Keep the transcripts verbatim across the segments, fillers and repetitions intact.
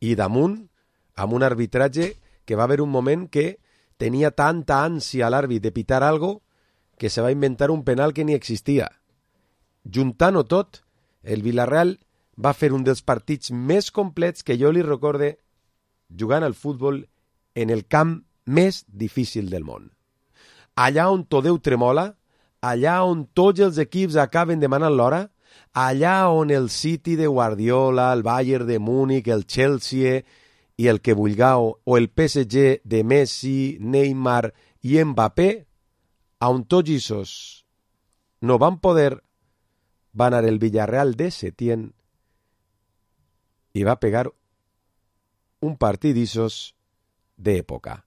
I damunt, amb un arbitratge que va haver un moment que tenia tanta ànsia a l'àrbit de pitar algo que se va inventar un penal que ni existia. Juntant-ho tot, el Villarreal va fer un dels partits més complets que jo li recorde jugant al futbol en el camp més difícil del món. Allà on tot Déu tremola, allà on tots els equips acaben demanant l'hora, allà on el City de Guardiola, el Bayern de Múnich, el Chelsea i el que vulgueu, o el P S G de Messi, Neymar i Mbappé, on tots aquests no van poder, va anar el Villarreal de Setién i va pegar un partit d'issos d'època.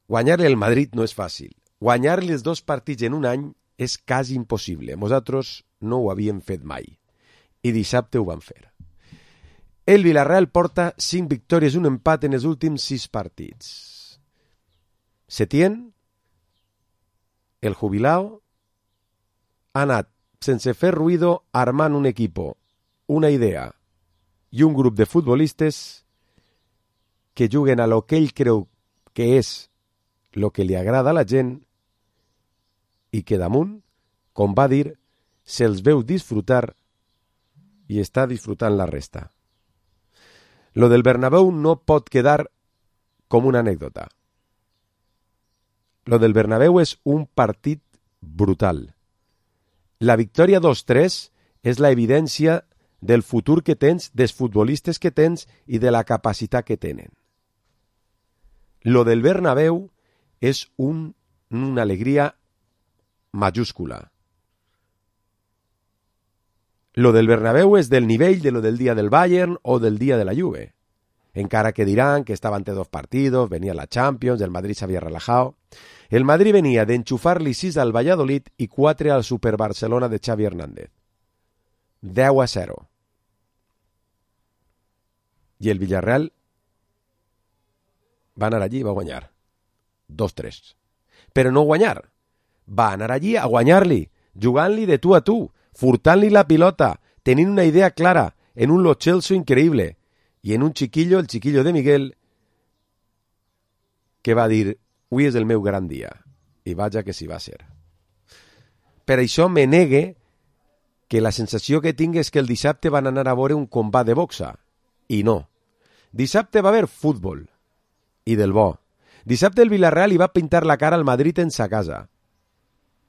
Guanyar-li al Madrid no és fàcil. Guanyar-li els dos partits en un any és quasi impossible. Nosaltres no ho havíem fet mai. I dissabte ho vam fer. El Villarreal porta cinc victòries i un empat en els últims sis partits. Setién, el jubilao, ha anat sense fer ruido armant un equipo, una idea i un grup de futbolistes que juguen a lo que ell creu que és lo que li agrada a la gent i que damunt, com va dir, se'ls veu disfrutar i està disfrutant la resta. Lo del Bernabéu no pot quedar com una anècdota. Lo del Bernabéu és un partit brutal. La victòria dos tres és la evidència del futur que tens, dels futbolistes que tens i de la capacitat que tenen. Lo del Bernabéu és un, una alegria mayúscula. Lo del Bernabéu és del nivell de lo del dia del Bayern o del dia de la Juve. Encara que diran que estava ante dos partidos, venia la Champions, el Madrid s'havia relajado. El Madrid venia d'enxufar-li sis al Valladolid i quatre al Super Barcelona de Xavi Hernández. deu a zero. I el Villarreal va anar allí i va guanyar. dos tres. Però no guanyar. Va anar allí a guanyar-li, jugant-li de tu a tu, furtant-li la pilota, tenint una idea clara, en un Lo Celso increïble, i en un chiquillo, el chiquillo de Miguel, que va dir, avui és el meu gran dia, i vaja que sí va ser. Per això me negue que la sensació que tinc és que el dissabte van anar a veure un combat de boxa, i no. Dissabte va haver futbol, i del bo. Dissabte el Villarreal hi va pintar la cara al Madrid en sa casa,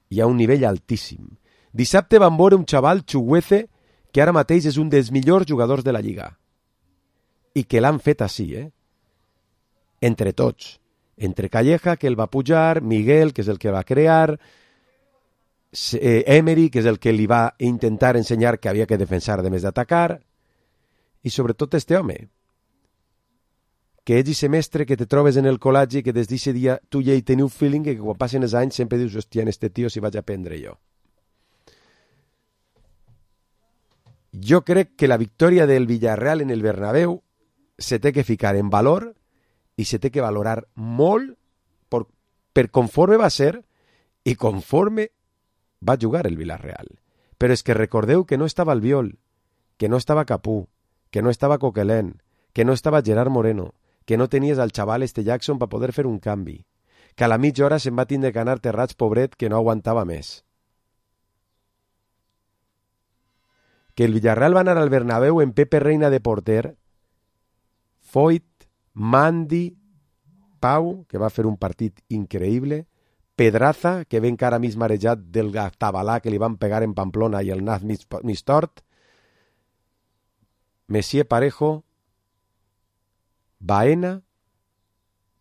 i a un nivell altíssim. Dissabte van veure un xaval Chuguece que ara mateix és un dels millors jugadors de la Lliga. I que l'han fet així, eh? Entre tots. Entre Calleja, que el va pujar, Miguel, que és el que va crear, eh, Emery, que és el que li va intentar ensenyar que havia que defensar de més d'atacar, i sobretot este home, que és i semestre que te trobes en el col·legi que des d'aquest dia tu ja hi teniu feeling que quan passen els anys sempre dius, hòstia, en este tio si vaig a aprendre jo. Jo crec que la victòria del Villarreal en el Bernabéu se té que ficar en valor i se té que valorar molt per, per conforme va ser i conforme va jugar el Villarreal. Però és que recordeu que no estava Albiol, que no estava Capú, que no estava Coquelin, que no estava Gerard Moreno, que no tenies al xaval este Jackson per poder fer un canvi, que a la mitja hora se'n va tindre que anar Terrats, pobret, que no aguantava més. Que el Villarreal va anar al Bernabéu en Pepe Reina de porter, Foyt, Mandi, Pau, que va fer un partit increïble, Pedraza, que ve encara mig marejat del Tabalà que li van pegar en Pamplona i el nas mig, mig tort, Messier Parejo, Baena,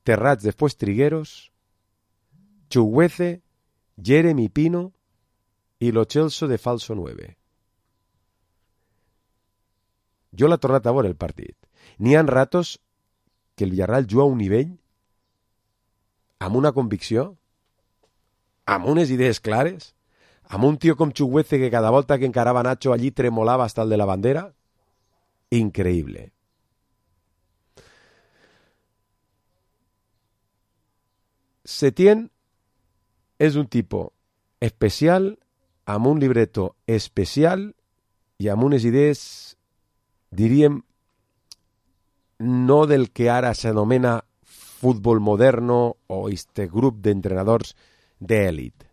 Terrats después Trigueros, Chuguece, Jeremy Pino i Lo Celso de falso nueve. Jo l'he tornat a veure el partit. N'hi ha ratos que el Villarreal juga a un nivell amb una convicció, amb unes idees clares, amb un tio com Chuguece que cada volta que encarava Nacho allí tremolava hasta el de la bandera. Increïble. Setién és un tipus especial, amb un libreto especial i amb unes idees, diríem, no del que ara s'anomena futbol moderno o este grup d'entrenadors d'èlit.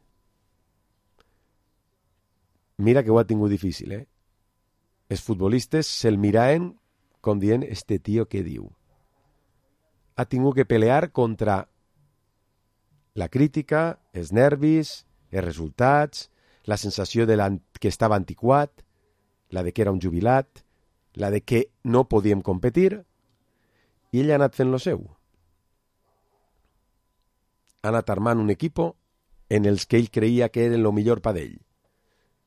Mira que ho ha tingut difícil, eh? Els futbolistes se'l miraven com dient, este tio què diu? Ha tingut que pelear contra la crítica, els nervis, els resultats, la sensació de que estava antiquat, la de que era un jubilat, la de que no podíem competir, i ell ha anat fent lo seu. Ha anat armant un equipo en els que ell creia que eren lo millor per ell.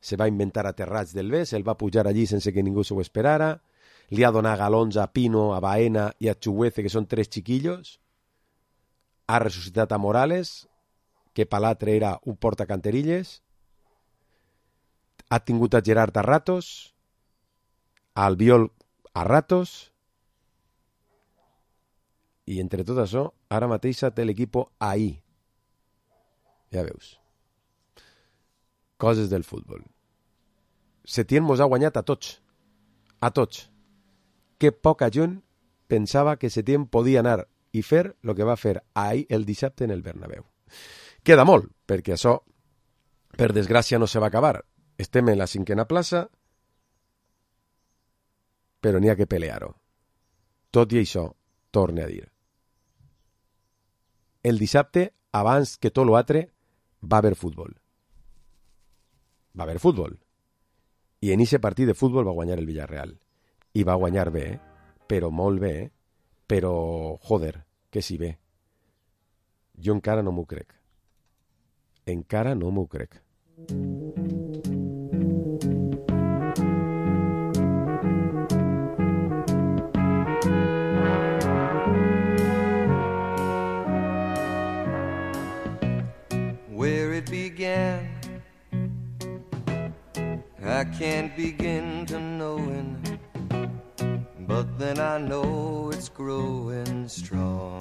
Se va inventar aterrats del B, se'l va pujar allí sense que ningú s'ho esperara, li ha donat galons a Pino, a Baena i a Chuguece, que són tres chiquillos, ha ressuscitat a Morales, que per l'altre era un portacanterilles, ha tingut a Gerard a ratos, a Albiol a ratos, i entre tot això, ara mateix té l'equip ahí. Ja veus. Coses del futbol. Setién mos ha guanyat a tots. A tots. Que poca gent pensava que Setién podia anar i fer el que va fer ahir el dissabte en el Bernabéu. Queda molt, perquè això, per desgràcia, no se va acabar. Estem en la cinquena plaça, però n'hi ha que pelear-ho. Tot i això, torne a dir. El dissabte, abans que tot l'altre, va haver futbol. Va haver futbol. I en aquest partit de futbol va guanyar el Villarreal. I va guanyar bé, eh? Però molt bé, eh? Però, joder, que si bé. Jo encara no m'ho crec. Encara no m'ho crec. Where it began, I can't begin to knowing, but then I know it's growing strong.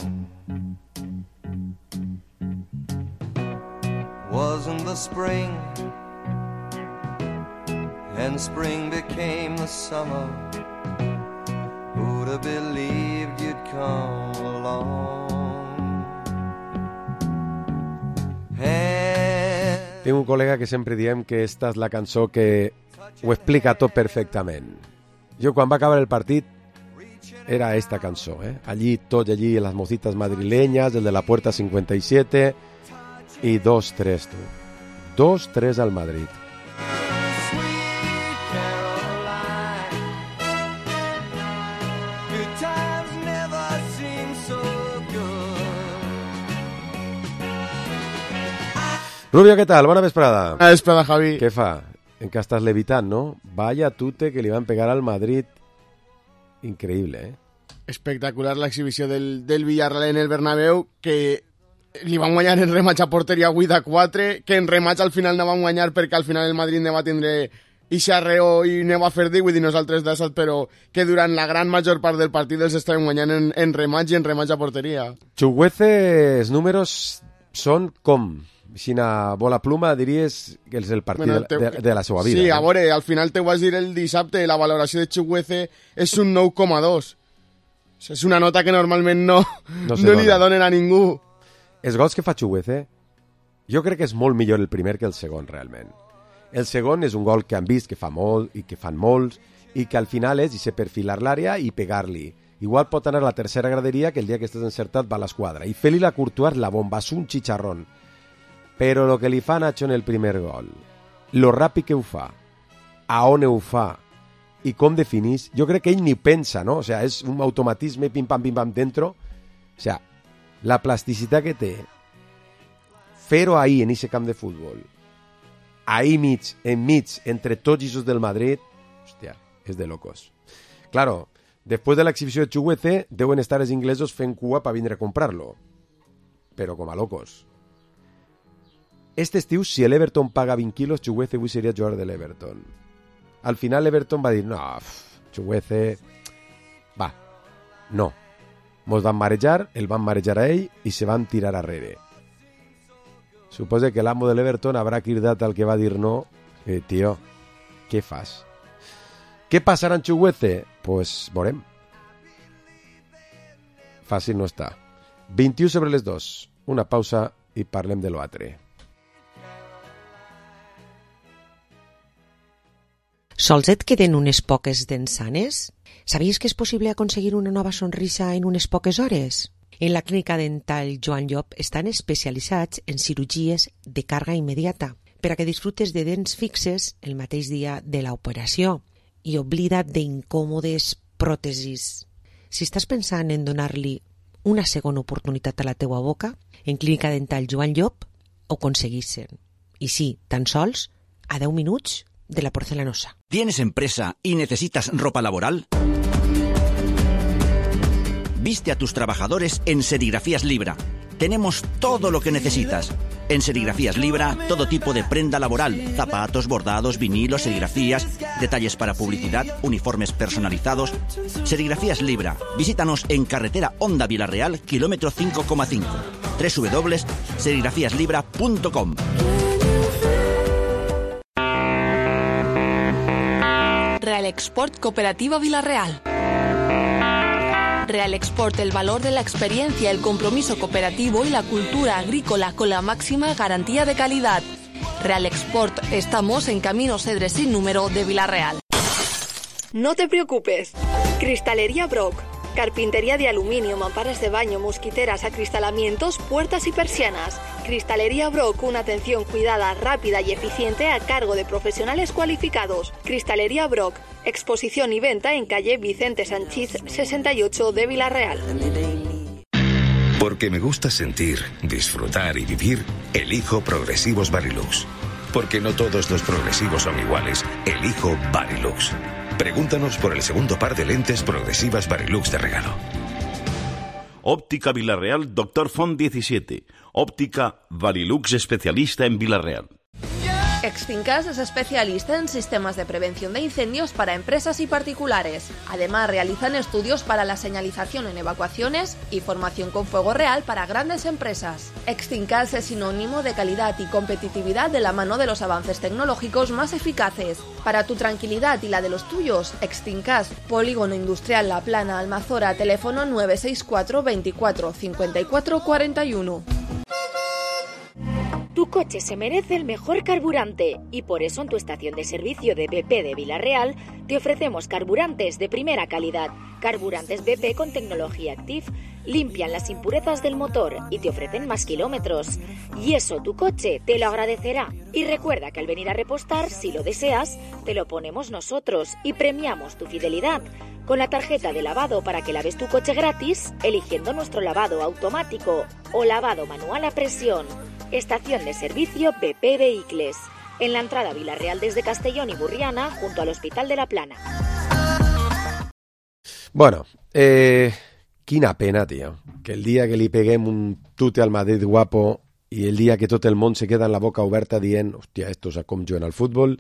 Wasn't the spring, and spring became the summer. Who'd have believed you'd come along? And... Tinc un col·lega que sempre diem que esta és la cançó que ho explica tot perfectament. Jo quan va acabar el partit era esta cançó, eh? Allí, tot allí, las mocitas madrileñas, el de la Puerta cincuenta y siete, y dos tres, tu. dos tres al Madrid. Rubio, què tal? Bona vesprada. Bona vesprada, Javi. Què fa? Encara estàs levitant, no? Vaya tute que li van pegar al Madrid. Increïble, eh? Espectacular la exhibició del, del Villarreal en el Bernabéu, que li van guanyar en rematx a porteria vuit a quatre, que en rematx al final no van guanyar perquè al final el Madrid no va tindre ixe arreo i no va fer dir, vull dir nosaltres d'assat, però que durant la gran major part del partit els estaven guanyant en, en rematx i en rematx a porteria. Chuguece, els números són com? Si una bola pluma diries que és el partit bueno, te... de, de la seva vida. Sí, no? A veure, al final te ho vas dir el dissabte, la valoració de Chuguece és un nou coma dos. És una nota que normalment no, no, no li la donen a ningú. Els gols que fa Chuguece, jo crec que és molt millor el primer que el segon, realment. El segon és un gol que han vist que fa molt i que fan molts i que al final és i se perfilar l'àrea i pegar-li. Igual pot anar a la tercera graderia que el dia que estàs encertat va a l'esquadra. I fer-li la Courtois la bomba, és un xicharrón. Però el que li fa Nacho en el primer gol, lo ràpid que ho fa, a on ho fa i com definís, jo crec que ell ni pensa, no? O sea, és un automatisme pim-pam, pim-pam dentro. O sea, la plasticitat que té, fer-ho ahir en aquest camp de futbol, ahir mig, enmig, entre tots els del Madrid, hòstia, és de locos. Claro, després de l'exhibició de Chuguece, deuen estar els inglesos fent cua per vindre a comprar-lo. Però com a locos. Este estiu, si l'Everton paga vint quilos, Chuguece avui seria jugador de l'Everton. Al final l'Everton va dir, no, Chuguece, va, no. Mos van marejar, el van marejar a ell i se van tirar arrere. Suposa que l'amo de l'Everton haurà cridat al que va dir no, eh, tio, què fas? Què passarà en Chuguece? Pues veurem. fàcil no està. vint-i-u sobre les dos. Una pausa i parlem de l'altre. Sols et queden unes poques dents sanes? Sabies que és possible aconseguir una nova sonrisa en unes poques hores? En la clínica dental Joan Llop estan especialitzats en cirurgies de càrrega immediata per a que disfrutes de dents fixes el mateix dia de l'operació i oblida't d'incòmodes pròtesis. Si estàs pensant en donar-li una segona oportunitat a la teua boca, en clínica dental Joan Llop ho aconseguissin. I sí, tan sols a deu minuts de la porcelanosa. ¿Tienes empresa y necesitas ropa laboral? Viste a tus trabajadores en Serigrafías Libra. Tenemos todo lo que necesitas. En Serigrafías Libra, todo tipo de prenda laboral, zapatos, bordados, vinilos, serigrafías, detalles para publicidad, uniformes personalizados. Serigrafías Libra. Visítanos en carretera Honda Vilarreal, kilómetro cinco coma cinco. doble u doble u doble u punto serigrafías libra punto com. Real Export Cooperativa Vilarreal. Real Export, el valor de la experiencia, el compromiso cooperativo y la cultura agrícola con la máxima garantía de calidad. Real Export, estamos en Camino Cedres sin número de Vilarreal. No te preocupes. Cristalería Brock. Carpintería de aluminio, mamparas de baño, mosquiteras, acristalamientos, puertas y persianas. Cristalería Brock, una atención cuidada, rápida y eficiente a cargo de profesionales cualificados. Cristalería Brock, exposición y venta en calle Vicente Sanchís sesenta y ocho de Vilarreal. Porque me gusta sentir, disfrutar y vivir, elijo Progresivos Varilux. Porque no todos los progresivos son iguales, elijo Varilux. Pregúntanos por el segundo par de lentes progresivas Varilux de regalo. Óptica Vilarreal, Doctor Font diecisiete. Óptica Varilux, especialista en Vilarreal. Extincas es especialista en sistemas de prevención de incendios para empresas y particulares. Además, realizan estudios para la señalización en evacuaciones y formación con fuego real para grandes empresas. Extincas es sinónimo de calidad y competitividad de la mano de los avances tecnológicos más eficaces. Para tu tranquilidad y la de los tuyos, Extincas, Polígono Industrial La Plana, Almazora, teléfono nueve seis cuatro veinticuatro cincuenta y cuatro cuarenta y uno. Tu coche se merece el mejor carburante y por eso en tu estación de servicio de B P de Vilarreal te ofrecemos carburantes de primera calidad. Carburantes B P con tecnología Active limpian las impurezas del motor y te ofrecen más kilómetros. Y eso tu coche te lo agradecerá. Y recuerda que al venir a repostar, si lo deseas, te lo ponemos nosotros y premiamos tu fidelidad con la tarjeta de lavado para que laves tu coche gratis, eligiendo nuestro lavado automático o lavado manual a presión. Estación de servicio B P Vehicles, en la entrada a Vilarreal desde Castellón y Burriana, junto al Hospital de la Plana. Bueno, eh, quina pena, tio, que el dia que li peguem un tute al Madrid guapo i el dia que tot el món se queda en la boca oberta dient, hòstia, estos a com juguen al futbol,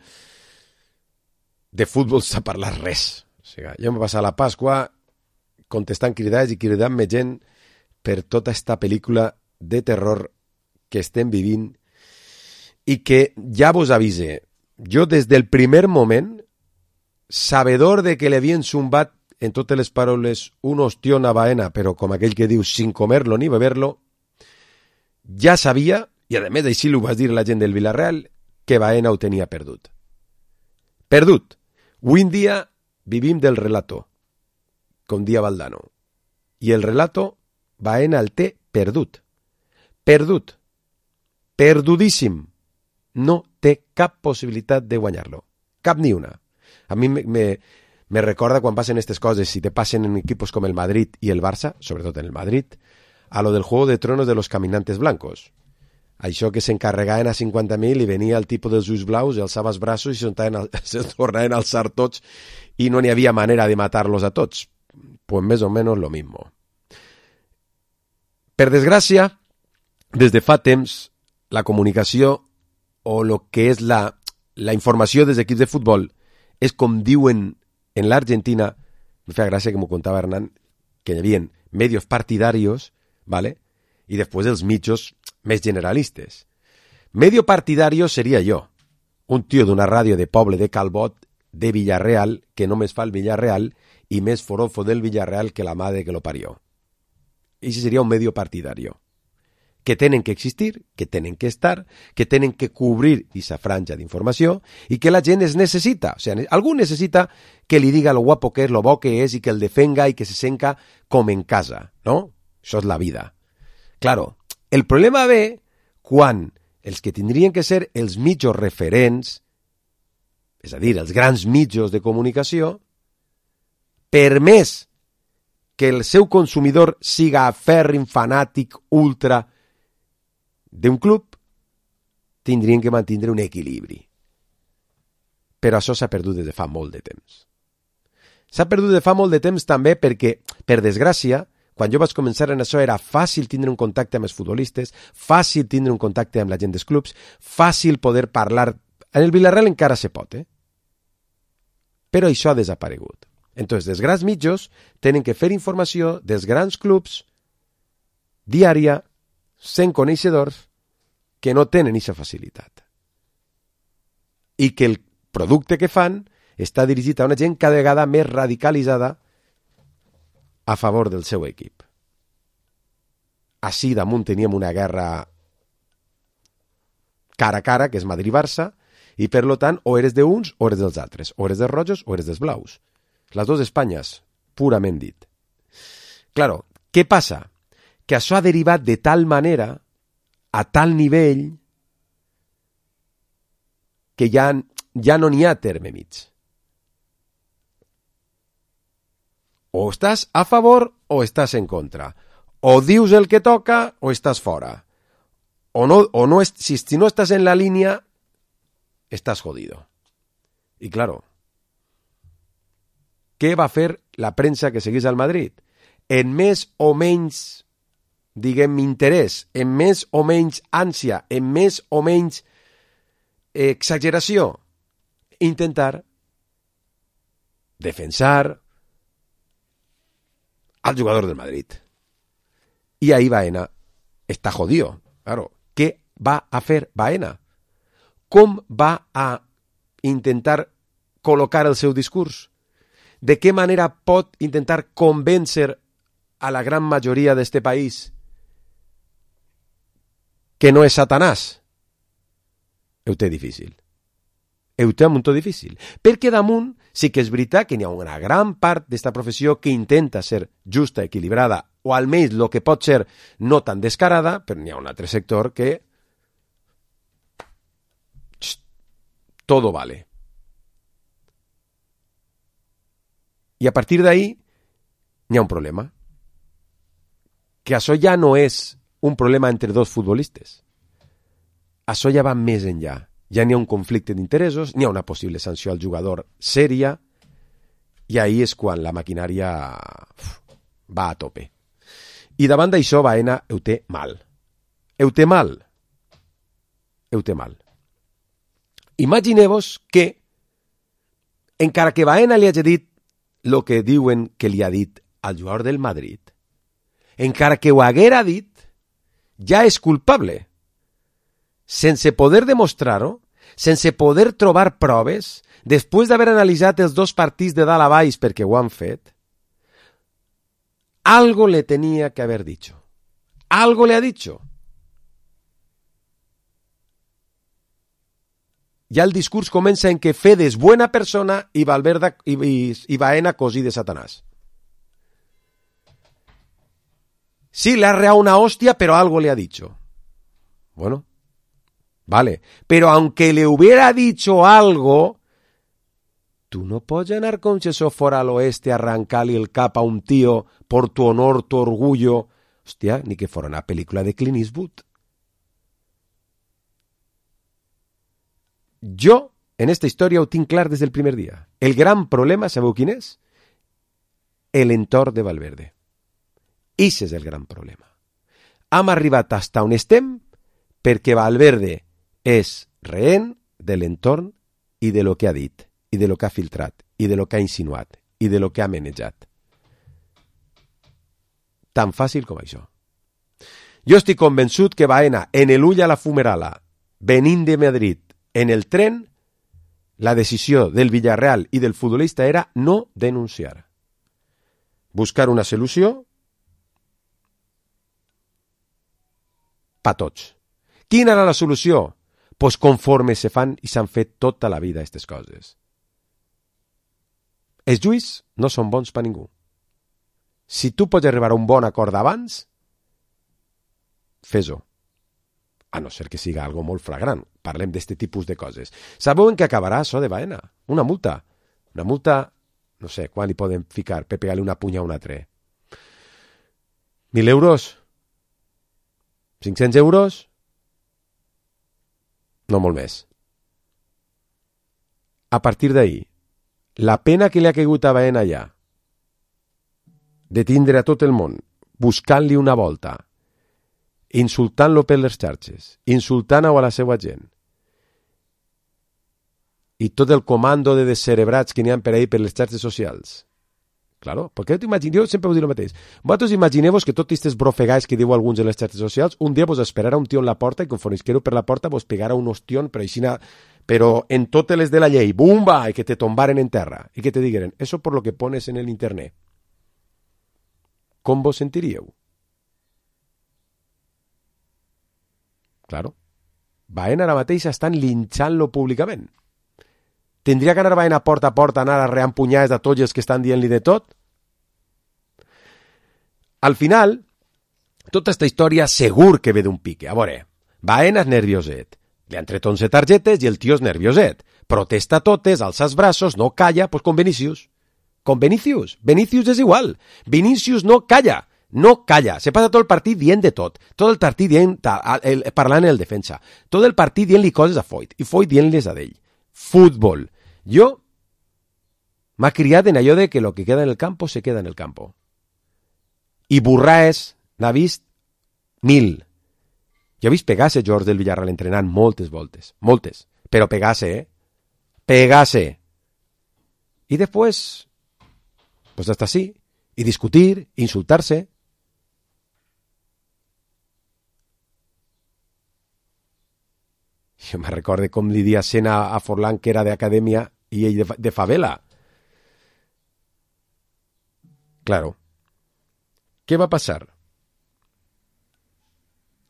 de futbol s'ha parlat res. O sigui, jo m'he passat la Pasqua contestant cridats i cridant-me gent per tota esta pel·lícula de terror que estem vivint i que ja vos avise, jo des del primer moment, sabedor de que li havien zumbat en totes les paraules un ostión a Baena, però com aquell que diu sin comerlo ni beberlo, ja sabia, i a més així ho vas dir la gent del Vilarreal, que Baena ho tenia perdut. Perdut. Avui en dia vivim del relato, com dia Valdano. I el relato, Baena el té perdut. Perdut. Perdudíssim. No té cap possibilitat de guanyar-lo. Cap ni una. A mi me, me, me recorda quan passen aquestes coses, si te passen en equipos com el Madrid i el Barça, sobretot en el Madrid, a lo del Juego de Tronos de los Caminantes Blancos. Això que s'encarregaven a cinquanta mil i venia el tipus dels ulls blaus, alçava els braços i se tornaven a alçar tots i no n'hi havia manera de matar-los a tots. Pues més o menys lo mismo. Per desgràcia, des de fa temps, la comunicació o lo que és la, la informació dels equips de futbol és com diuen en l'Argentina, me feia gràcia que m'ho contava Hernán, que hi havia medios partidarios, ¿vale? I després els mitjos més generalistes. Medio partidario seria jo, un tio d'una ràdio de poble de Calbot, de Villarreal, que només fa el Villarreal, i més forofo del Villarreal que la madre que lo parió. Ese sería un medio partidario. Que tenen que existir, que tenen que estar, que tenen que cobrir esa franja d'informació i que la gent es necessita. O sigui, algú necessita que li diga lo guapo que és, lo bo que és i que el defenga i que se senca com en casa, no? Això és la vida. Claro, el problema ve quan els que tindrien que ser els mitjos referents, és a dir, els grans mitjos de comunicació, per més que el seu consumidor siga afèrrim, fanàtic, ultra d'un club, tindrien que mantenir un equilibri. Però això s'ha perdut des de fa molt de temps. S'ha perdut de fa molt de temps també perquè, per desgràcia, quan jo vaig començar en això era fàcil tindre un contacte amb els futbolistes, fàcil tindre un contacte amb la gent dels clubs, fàcil poder parlar. En el Villarreal encara se pot, eh? Però això ha desaparegut. Entonces, els grans mitjos tenen que fer informació dels grans clubs diària, sent coneixedors que no tenen aquesta facilitat. I que el producte que fan està dirigit a una gent cada vegada més radicalitzada a favor del seu equip. Així damunt teníem una guerra cara a cara, que és Madrid-Barça, i per lo tant o eres d'uns o eres dels altres, o eres dels rojos o eres dels blaus. Les dues Espanyes, purament dit. Claro, què passa? Que això ha derivat de tal manera, a tal nivell, que ja, ja no n'hi ha terme mig. O estàs a favor o estàs en contra. O dius el que toca o estàs fora. O no, o no, si, si no estàs en la línia, estàs jodido. I claro, què va fer la premsa que seguís al Madrid? En més o menys, diguem, interès, en més o menys ànsia, en més o menys exageració, intentar defensar al jugador del Madrid. Y ahí Baena está jodido. Claro, ¿qué va a hacer Baena? Com va a intentar col·locar el seu discurs? De què manera pot intentar convèncer a la gran majoria d'este país que no és Satanàs? Ho té difícil. Ho té molt difícil. Perquè damunt sí que és veritat que n'hi ha una gran part d'esta professió que intenta ser justa, equilibrada, o almenys el que pot ser no tan descarada, però n'hi ha un altre sector que todo vale. I a partir d'ahí n'hi ha un problema. Que això ja no és un problema entre dos futbolistes. Això ja va més enllà. Ja n'hi ha un conflicte d'interessos, n'hi ha una possible sanció al jugador sèria, i ahí és quan la maquinària uf, va a tope. I davant d'això Baena ho té mal. Ho té mal. Ho té mal. Imagineu-vos que, encara que Baena li hagi dit el que diuen que li ha dit al jugador del Madrid, encara que ho haguera dit, ja és culpable. Sense poder demostrar-ho, sense poder trobar proves, després d'haver analitzat els dos partits de dalt a baix perquè ho han fet, algo le tenía que haber dicho. Algo le ha dicho. Ja el discurs comença en que Fede és buena persona i Valverde i, i, i Baena cosí de Satanàs. Sí, le ha reado una hostia, pero algo le ha dicho. Bueno, vale. Pero aunque le hubiera dicho algo, tú no pots anar com si això fora a l'oeste a arrancar-li el cap a un tío por tu honor, tu orgullo. Hòstia, ni que fora una pel·lícula de Clint Eastwood. Jo, en esta història, ho tinc clar des del primer dia. El gran problema, sabeu quin és? El entorn de Valverde. Ese és el gran problema. Hem arribat hasta on estem perquè Valverde és rehén de l'entorn i de lo que ha dit, i de lo que ha filtrat, i de lo que ha insinuat, i de lo que ha manejat. Tan fàcil com això. Jo estic convençut que Baena, en el ull a la fumerala, venint de Madrid, en el tren, la decisió del Villarreal i del futbolista era no denunciar. Buscar una solució pa tots. Quina era la solució? Pues conforme se fan i s'han fet tota la vida aquestes coses. Els juis no són bons per ningú. Si tu pots arribar a un bon acord abans, fes-ho. A no ser que siga algo molt flagrant. Parlem d'este tipus de coses. Sabeu en què acabarà això de Baena? Una multa. Una multa, no sé, quan li poden ficar per pegar-li una punya a un altre? Mil euros? Cinc-cents euros? No molt més. A partir d'ahir, la pena que li ha caigut a Baena ja, de tindre a tot el món, buscant-li una volta, insultant-lo per les xarxes, insultant-ho a la seva gent, i tot el comando de descerebrats que n'hi ha per ahir per les xarxes socials. Claro, perquè jo sempre us dic el mateix. Vosaltres imagineu-vos que tots aquests brofegais que diu alguns en les xarxes socials, un dia vos esperarà un tio en la porta i conforme isquero per la porta vos pegarà un ostión, però aixina, però en totes les de la llei, bumba, i que te tombaren en terra, i que te digueren, eso por lo que pones en el internet. Com vos sentiríeu? Claro. Baena ara mateix estan linxant-lo públicament. Tindria que anar Baena porta a porta, anar a reempunyar a tots els que estan dient-li de tot? Al final, tota aquesta història segur que ve d'un pique. A veure, Baena és nervioset. Li han tret onze targetes i el tio és nervioset. Protesta totes, alça els braços, no calla, pues con Vinicius. Con Vinicius. Vinicius és igual. Vinicius no calla. No calla. Se passa tot el partit dient de tot. Tot el partit dient, el, parlant en el defensa. Tot el partit dient-li coses a Foyt. I Foyt dient-les a d'ell. Futbol. Jo m'ha criat en allò de que lo que queda en el campo se queda en el campo. I Burraes n'ha vist mil. Jo he vist pegar-se George del Villarreal entrenant moltes voltes. Moltes. Però pegar-se, eh? Pegar-se. I després, pues hasta así. I discutir, insultar-se. Jo me recordo com li dia Sena a Forlán que era d'acadèmia i ell de, de favela. Claro. Què va passar?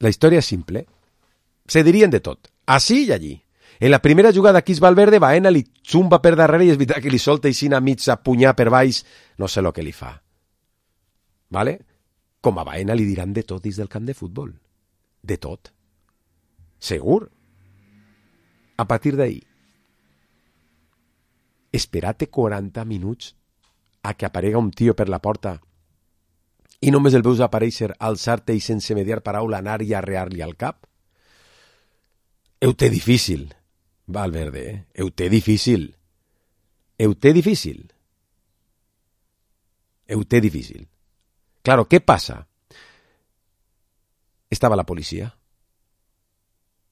La història és simple. Se dirien de tot. Així i allí. En la primera jugada aquí es Valverde, Baena li zumba per darrere i és veritat que li solta i sina mig a punyar per baix. No sé el que li fa. Vale? Com a Baena li diran de tot dins del camp de futbol. De tot. Segur. A partir d'ahir, esperate quaranta minuts a que aparega un tio per la porta i només el veus aparèixer, alçar-te i sense mediar paraula anar i arrear-li al cap? Heu té difícil, Valverde, eh? Heu té difícil. Heu té difícil. Heu té difícil. Claro, què passa? Estava la policia.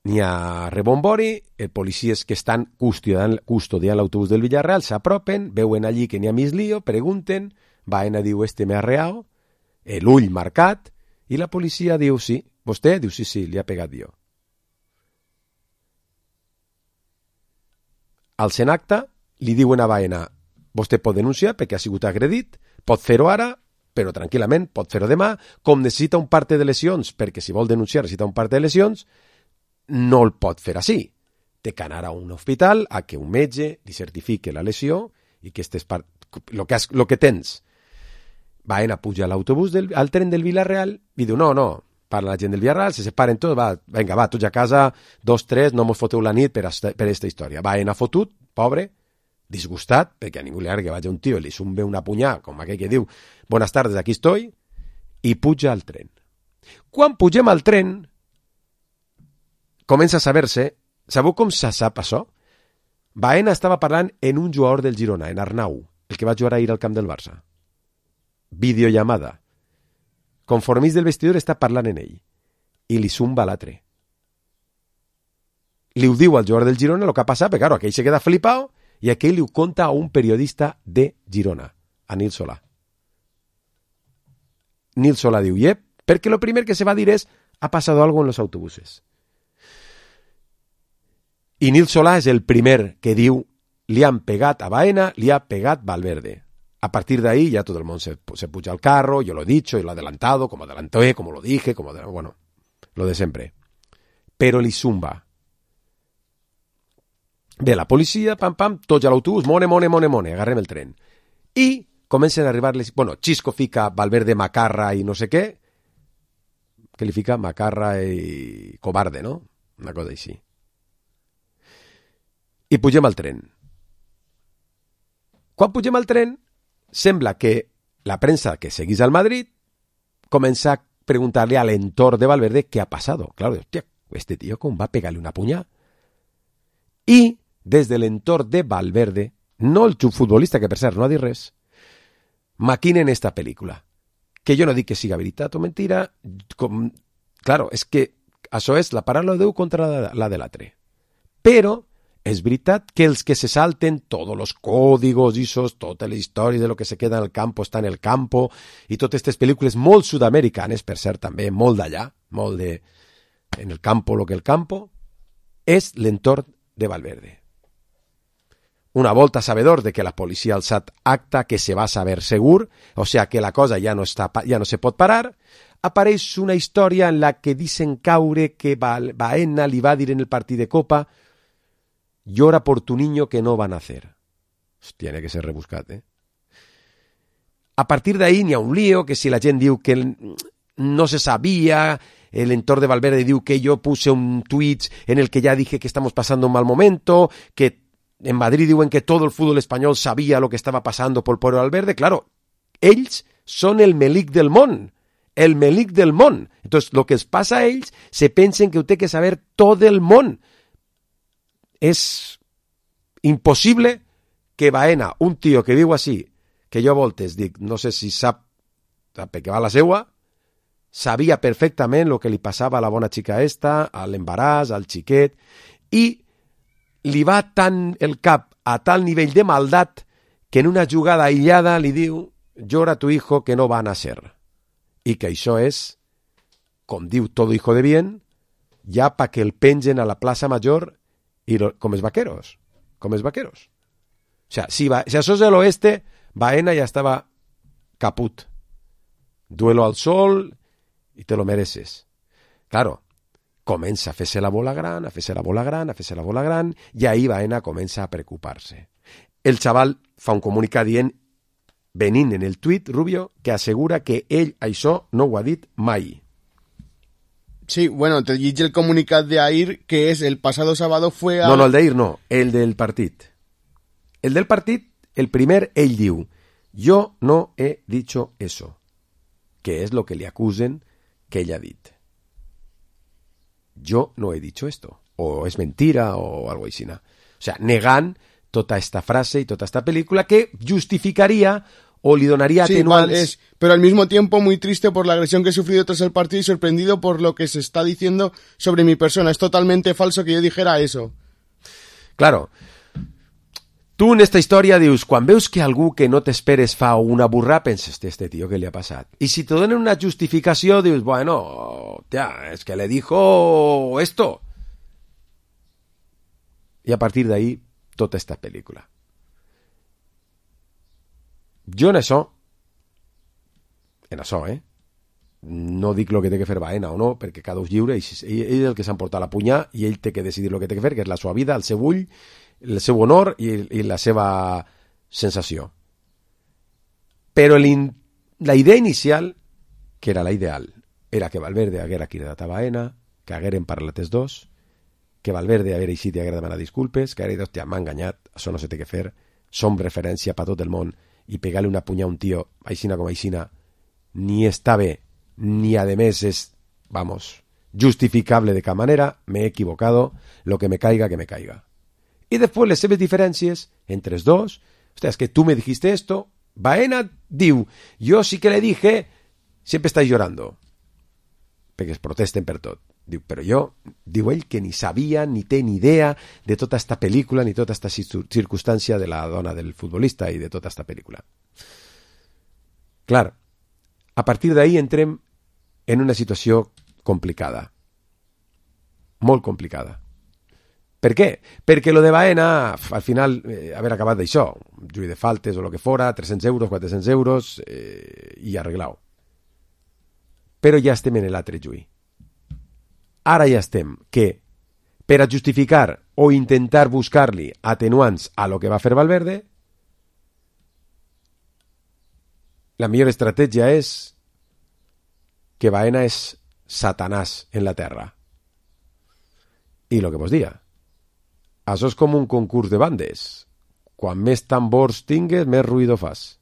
N'hi ha rebombori, els policies que estan custodiant, custodiant l'autobús del Villarreal s'apropen, veuen allí que n'hi ha més lío, pregunten, Baena diu, este me ha arreado, l'ull marcat, i la policia diu, sí, vostè? Diu, sí, sí, li ha pegat jo. Al Senacta li diuen a Baena, vostè pot denunciar perquè ha sigut agredit, pot fer-ho ara, però tranquil·lament, pot fer-ho demà, com necessita un parte de lesions, perquè si vol denunciar necessita un parte de lesions, no el pot fer així. Té que anar a un hospital a que un metge li certifique la lesió i que estés part... lo que, has... lo que tens. Baena puja a l'autobús, del... al tren del Villarreal i diu, no, no, parla la gent del Villarreal, se separen tots, va, vinga, va, tots a casa, dos, tres, no mos foteu la nit per esta, per esta història. Baena fotut, pobre, disgustat, perquè a ningú li agrada que vagi un tio i li sumbe una punyà, com aquell que diu, buenas tardes, aquí estoy, i puja al tren. Quan pugem al tren, comença a saber-se, sabeu com se sap això? Baena estava parlant en un jugador del Girona, en Arnau, el que va jugar ahir al camp del Barça. Videollamada. Conformís del vestidor està parlant en ell. I li zumba l'altre. Li ho diu al jugador del Girona el que ha passat, perquè claro, aquell se queda flipado i aquell li ho conta a un periodista de Girona, a Nil Solà. Nil Solà diu, yep, perquè lo primer que se va dir és ha passat algo en los autobuses. I Nil Solà és el primer que diu li han pegat a Baena, li ha pegat Valverde. A partir de ahí ya todo el mundo se, se puja al carro, yo lo he dicho, yo lo he adelantado, como adelanté, como lo dije, como... Bueno, lo de sempre. Però li zumba. Ve la policia, pam, pam, tots a l'autobús, mone, mone, mone, mone, agarrem el tren. I comencen a arribar les... Bueno, Xisco fica Valverde, Macarra i no sé què. Què li fica? Macarra i cobarde, no? Una cosa així. I pugem al tren. Quan pugem al tren, sembla que la premsa que seguís al Madrid comença a preguntarle al entorn de Valverde qué ha pasado. Claro, hostia, este tío cómo va a pegarle una puña. Y desde el entorn de Valverde, no el futbolista, que per cert no ha dit res, maquinen esta pel·lícula. Que jo no dic que siga veritat o mentira. Com... Claro, és que això és la paraula de Déu contra la, la de l'altre. Però és veritat que els que se salten tots els códigos, isos, totes les històries de lo que se queda en el campo està en el campo, i totes aquestes pel·lícules molt sud-americanes, per cert, també molt d'allà, molt de en el campo lo que el campo, és l'entorn de Valverde. Una volta sabedor de que la policía ha alçat acta, que se va saber segur, o sea que la cosa ja no, està, ja no se pot parar, apareix una història en la que dicen caure que Baena li va dir en el partit de Copa: llora por tu niño que no va a nacer. Tiene que ser rebuscat, eh? A partir d'ahí n'hi ha un lío, que si la gent diu que no se sabia, el entorn de Valverde diu que yo puse un tweet en el que ya dije que estamos pasando un mal momento, que en Madrid diuen que todo el fútbol español sabía lo que estaba pasando por Poro Valverde. Claro, ells són el melic del món, el melic del món. Entonces, lo que els passa a ells, se pensen que ho té que saber tot el món. És impossible que Baena, un tio que viu així, que jo a voltes dic, no sé si sap perquè va a la seua, sabia perfectament el que li passava a la bona xica esta, a l'embaràs, al xiquet, i li va tant el cap a tal nivell de maldat que en una jugada aïllada li diu: llora tu hijo que no va a nacer. I que això és, com diu todo hijo de bien, ja pa que el pengen a la plaça Major y lo, com els vaqueros, com els vaqueros. O sea, si, va, si això és de l'oeste, Baena ja estava caput. Duelo al sol y te lo mereces. Claro, comença a fer-se la bola gran, a fer-se la bola gran, a fer-se la bola gran, i ahí Baena comença a preocupar-se. El xaval fa un comunicat dient, venint en el tuit, Rubio, que assegura que ell això no ho ha dit mai. Sí, bueno, te dice el comunicat de Air, que es el pasado sábado fue a... No, no, el de Air no, el del partit. El del partit, el primer, ell diu, yo no he dicho eso, que es lo que le acusen que ella ha dit. Yo no he dicho esto, o es mentira, o algo així. O sea, negant tota esta frase y toda esta película que justificaría o le donaría sí, atenuantes. Vale, es, pero al mismo tiempo muy triste por la agresión que he sufrido tras el partido y sorprendido por lo que se está diciendo sobre mi persona. Es totalmente falso que yo dijera eso. Claro. Tu en esta història dius, quan veus que algú que no t'esperes fa una burra, penses, este tio, què li ha passat? I si te donen una justificació, dius, bueno, tia, es que le dijo esto. I a partir d'ahí, tota esta pel·lícula. Jo en això, en això, eh? No dic el que té que fer Baena o no, perquè cada un és lliure, i ell és el que s'ha emportat la punyà, i ell té que decidir el que té que fer, que és la seva vida, el seu ull, el seu honor i, i la seva sensació. Però la idea inicial, que era la ideal, era que Valverde haguera cridat a Baena, que hagueren parlat els dos, que Valverde haguera eixit i haguera demanat disculpes, que haguera dit, hòstia, m'ha enganyat, això no se té que fer, som referència per tot el món, i pegar-li una punyà a un tio, aixina com aixina, ni està bé, ni a més és, vamos, justificable de cap manera, me he equivocado, lo que me caiga, que me caiga. Y después les seves diferències entre els dos, hostia, es que tú me dijiste esto, Baena diu, yo sí que le dije, siempre estáis llorando, perquè es protesten per tot. Diu, però jo, diu ell que ni sabia, ni té ni idea de tota esta pel·lícula, ni tota esta circumstància de la dona del futbolista i de tota esta pel·lícula. Clar, a partir d'ahí entrem en una situació complicada. Molt complicada. Per què? Perquè lo de Baena, al final, eh, haver acabat d'això, juí de faltes o lo que fora, tres-cents euros, quatre-cents euros, eh, i arreglau. Però ja estem en l'altre juí. ara ja estem, que per a justificar o intentar buscar-li atenuants a lo que va fer Valverde, la millor estratègia és que Baena és Satanàs en la terra. I lo que vos dia, això és com un concurs de bandes. Quan més tambors tingues, més ruïdo fas.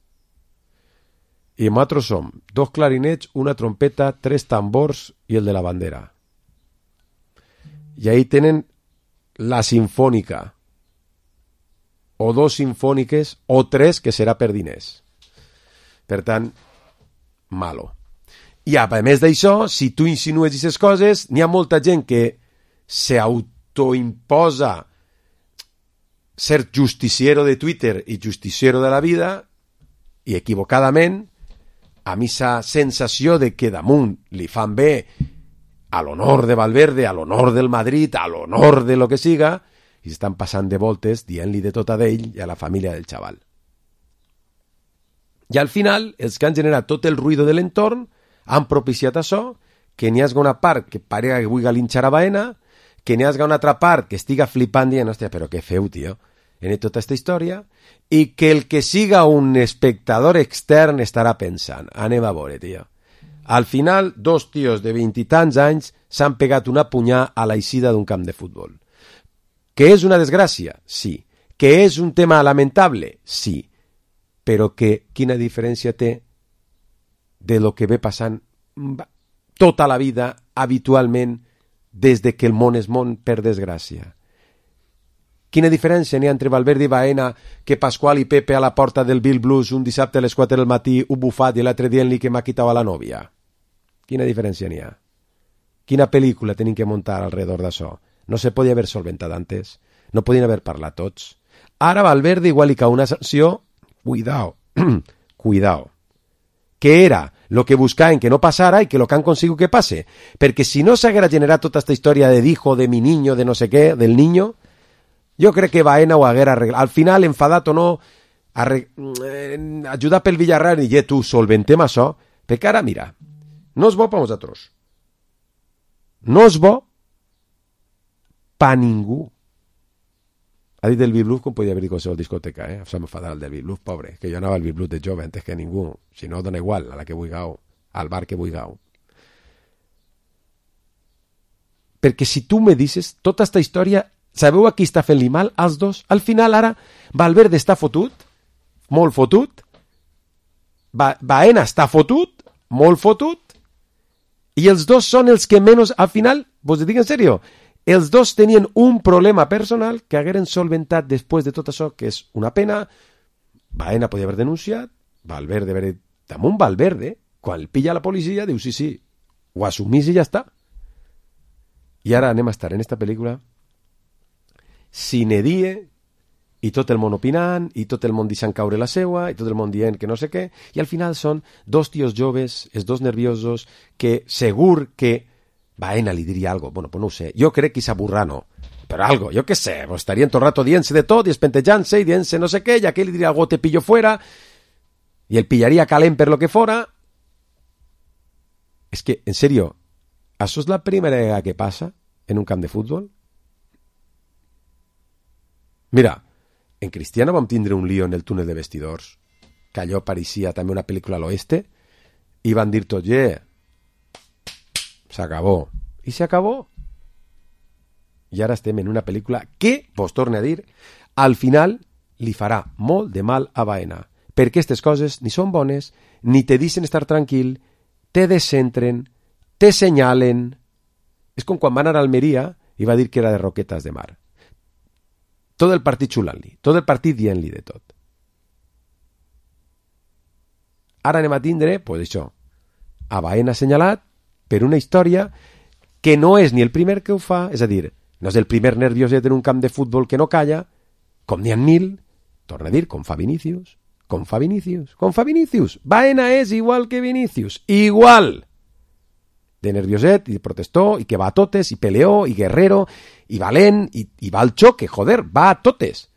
I nosaltres som dos clarinets, una trompeta, tres tambors i el de la bandera. I ahí tenen la sinfònica, o dos sinfòniques, o tres, que serà per diners. Per tant, malo. I a més d'això, si tu insinues aquestes coses, n'hi ha molta gent que s'autoimposa ser justiciero de Twitter i justiciero de la vida, i equivocadament, a mi sa sensació de que damunt li fan bé a l'honor de Valverde, a l'honor del Madrid, a l'honor de lo que siga, i s'estan passant de voltes dient-li de tot a d'ell i a la família del xaval. I al final, els que han generat tot el ruïdo de l'entorn han propiciat això, que n'hi hagi una part que parega que vulgui linxar a Baena, que n'hi hagi una altra part que estiga flipant dient, hòstia, però què feu, tio, en tota aquesta història, i que el que siga un espectador extern estarà pensant, anem a veure, tio. Al final, dos tios de vint i tants anys s'han pegat una punyà a l'eixida d'un camp de futbol. Que és una desgràcia? Sí. Que és un tema lamentable? Sí. Però que quina diferència té de lo que ve passant tota la vida, habitualment, des de que el món és món, per desgràcia. Quina diferència n'hi ha entre Valverde i Baena que Pasqual i Pepe a la porta del Bill Blues un dissabte a les quatre del matí, un bufat i l'altre dient-li que m'ha quitat a la nòvia? Quina diferència n'hi ha? Quina pel·lícula tenim que muntar alrededor d'això? No se podia haver solventat antes? No podien haver parlat tots? Ara Valverde igual li cau una sanció, cuidao, cuidao, que era lo que buscaven que no passara i que lo que han conseguido que passe, perquè si no s'haguera generat tota aquesta història de dijo, de mi niño, de no sé què, del niño, jo crec que Baena ho haguera arreglat. Al final, enfadat o no, arreg... eh, ajudar pel Villarreal i ja tu solventem això, perquè ara, mira, no és bo per nosaltres. No és bo pa ningú. Ha dit el Bibluff com podia haver dit qualsevol discoteca, eh? S'ha enfadat el del Bibluff, pobre, que jo anava al Bibluff de jove antes que ningú. Si no, dona igual, a la que vulgueu, al bar que vulgueu. Perquè si tu me dices tota aquesta història, sabeu a qui està fent-li mal? Als dos. Al final, ara, Valverde està fotut, molt fotut, ba Baena està fotut, molt fotut, i els dos són els que menys, al final, vos dic en sèrio, els dos tenien un problema personal que hagueren solventat després de tot això, que és una pena. Baena podia haver denunciat, Valverde haver... Damunt Valverde, quan el pilla la policia, diu sí, sí, ho assumís i ja està. I ara anem a estar en esta pel·lícula sine die, i tot el món opinant, i tot el món deixant caure la seua, i tot el món dient que no sé què, i al final són dos tios joves, els dos nerviosos, que segur que Baena li diria algo, bueno, pues no ho sé, jo crec que s'aburrà no, però algo, jo què sé, pues estarien tot el rato dient-se de tot, i espentejant-se, i dient-se no sé què, i aquell li diria algo, te pillo fuera, i el pillaria calent per lo que fora. És que, en serio, això és la primera vegada que passa en un camp de futbol? Mira, en Cristiano vam tindre un lío en el túnel de vestidors, que allò pareixia també una pel·lícula a l'oeste, i van dir tot, yeah, s'acabó. I s'acabó. I ara estem en una pel·lícula que, vos torne a dir, al final li farà molt de mal a Baena, perquè aquestes coses ni són bones, ni te deixen estar tranquil, te descentren, te senyalen. És com quan va anar a Almeria i va dir que era de Roquetas de Mar. Tot el partit xulant-li, tot el partit dient-li de tot. Ara anem a tindre, pues això, a Baena assenyalat per una història que no és ni el primer que ho fa, és a dir, no és el primer nervioset en un camp de futbol que no calla, com n'hi ha mil, torna a dir, com fa Vinícius, com fa Vinícius, com fa Vinícius. Baena és igual que Vinícius, igual! De nervioset, i protestó, i que va a totes, i peleó, i guerrero, i valent, i, i va al xoque, joder, va a totes.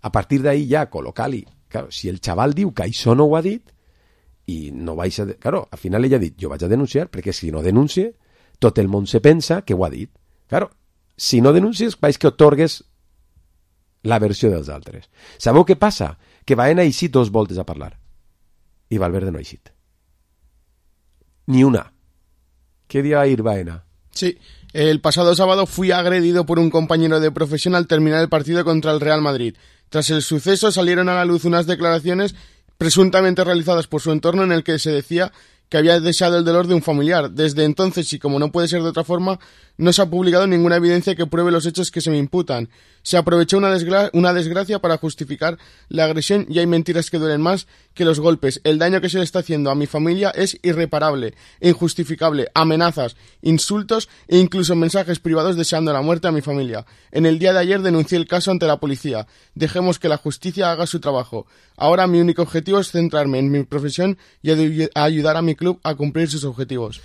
A partir d'ahí ja col·locar-li. Claro, si el xaval diu que això no ho ha dit, i no vaig a... Claro, al final ella ha dit, jo vaig a denunciar, perquè si no denuncie, tot el món se pensa que ho ha dit. Claro, si no denuncies, vaig que otorgues la versió dels altres. Sabeu què passa? Que Baena ha eixit dos voltes a parlar i Valverde no ha eixit. Ni una. ¿Qué día va a ir Baena? Sí, el pasado sábado fui agredido por un compañero de profesión al terminar el partido contra el Real Madrid. Tras el suceso salieron a la luz unas declaraciones presuntamente realizadas por su entorno en el que se decía que había deseado el dolor de un familiar. Desde entonces, y como no puede ser de otra forma, no se ha publicado ninguna evidencia que pruebe los hechos que se me imputan. Se aprovechó una, desgra- una desgracia para justificar la agresión y hay mentiras que duelen más que los golpes. El daño que se le está haciendo a mi familia es irreparable, injustificable. Amenazas, insultos e incluso mensajes privados deseando la muerte a mi familia. En el día de ayer denuncié el caso ante la policía. Dejemos que la justicia haga su trabajo. Ahora mi único objetivo es centrarme en mi profesión y ayu- ayudar a mi club a cumplir sus objetivos.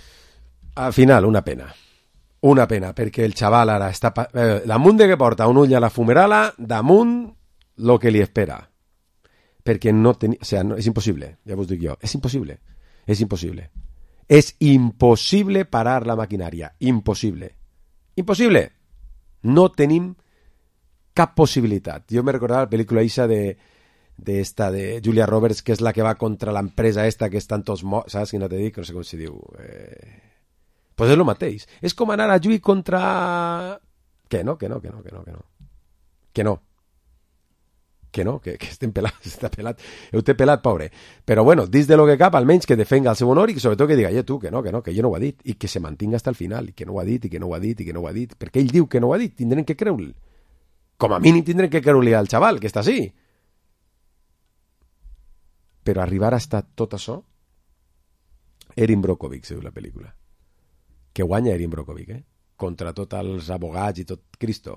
Al final, una pena. Una pena, perquè el xaval ara està... Pa... Eh, damunt de que porta un ull a la fumerala, damunt lo que li espera. Perquè no tenia... O sea, no, és impossible, ja vos dic jo. És impossible. És impossible. És impossible parar la maquinària. Impossible. Impossible. No tenim cap possibilitat. Jo me recordava la pel·lícula Isa de... de esta de Julia Roberts, que és la que va contra l'empresa esta que estan tots morts, saps? Que no te dic, no sé com se diu... Eh... Pues és el mateix. És com anar a lluir contra... Que no, que no, que no, que no, que no. Que no. Que no, que, que estem pelats, està pelat. Heu té pelat, pobre. Però bueno, dins de lo que cap, almenys que defenga el seu honor i que sobretot que diga, ja tu, que no, que no, que jo no ho ha dit. I que se mantinga hasta el final. I que no ho ha dit, i que no ho ha dit, i que no ho ha dit. Perquè ell diu que no ho ha dit. Tindrem que creure-li. Com a mínim tindrem que creure-li al xaval, que està així. Però arribar a estar tot això... Erin Brockovich, se diu la pel·lícula. Que guanya Erin Brockovich, eh? Contra tots els abogats i tot Cristo.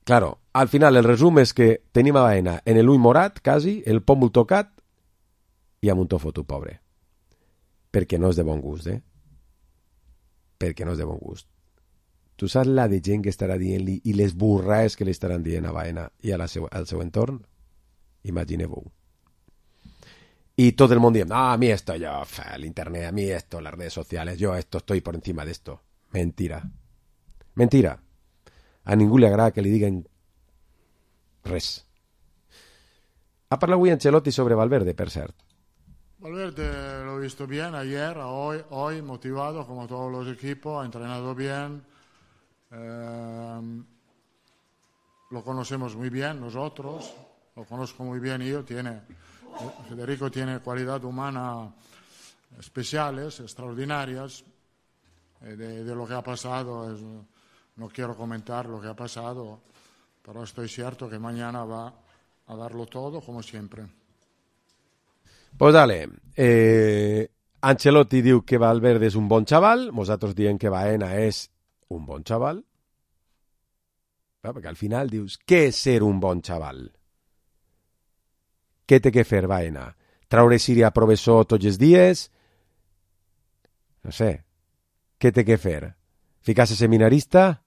Claro, al final el resum és que tenim a Baena en el ull morat, quasi, el pòmul tocat i amb un to foto pobre. Perquè no és de bon gust, eh? Perquè no és de bon gust. Tu saps la de gent que estarà dient-li i les burraes que li estaran dient a Baena i a la seu, al seu entorn? Imagineu-ho. Y todo el mundo dice, no, a mí esto, yo, el internet, a mí esto, las redes sociales, yo esto estoy por encima de esto. Mentira. Mentira. A ningú le agrada que li diguen res. Ha parlat avui Ancelotti sobre Valverde, per cert. Valverde lo he visto bien ayer, hoy, hoy motivado como todos los equipos, ha entrenado bien. Eh, lo conocemos muy bien nosotros, lo conozco muy bien yo, tiene... Federico tiene cualidad humana especiales, extraordinarias. De, de lo que ha pasado, es, no quiero comentar lo que ha pasado, pero estoy cierto que mañana va a darlo todo, como siempre. Pues dale, eh, Ancelotti diu que Valverde és un bon xaval, nosaltres diem que Baena és un bon xaval, clar, perquè al final dius, què és ser un bon xaval? Què té que fer Baena? Traure Síria a professor tots els dies? No sé. Què té que fer? Ficar-se seminarista?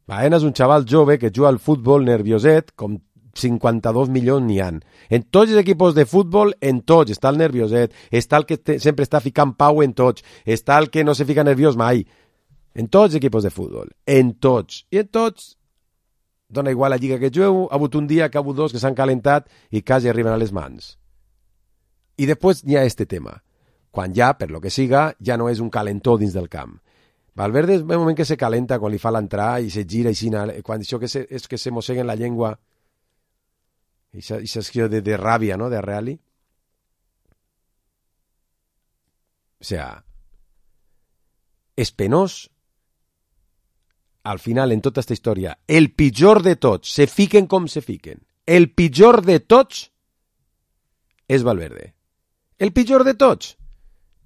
Baena és un xaval jove que juga al futbol nervioset, com cinquanta-dos milions n'hi han. En tots els equips de futbol, en tots, està el nervioset, està el que te, sempre està ficant pau en tots, està el que no se fica nerviós mai. En tots els equips de futbol. En tots. I en tots... Dona igual la lliga que jugueu, ha hagut un dia que ha hagut dos que s'han calentat i quasi arriben a les mans. I després hi ha este tema. Quan ja, per lo que siga, ja no és un calentó dins del camp. Valverde és un moment que se calenta quan li fa l'entrar i se gira i sina, quan això que se, és que se mosseguen la llengua i s'escriu de, de ràbia, no?, de reali. O sea, és penós. Al final, en tota aquesta història, el pitjor de tots, se fiquen com se fiquen, el pitjor de tots és Valverde. El pitjor de tots.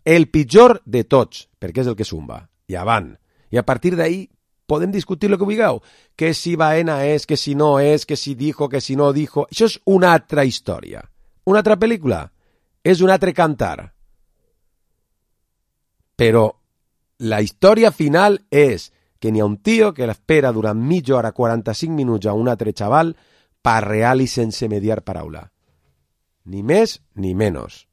El pitjor de tots, perquè és el que zumba. I avant. I a partir d'ahí podem discutir lo que vulgueu. Que si Baena és, que si no és, que si dijo, que si no dijo... Això és una altra història. Una altra pel·lícula. És un altre cantar. Però la història final és que n'hi ha un tio que l'espera durant mitja hora, quaranta-cinc minuts a un altre xaval per real i sense mediar paraula. Ni més ni menys.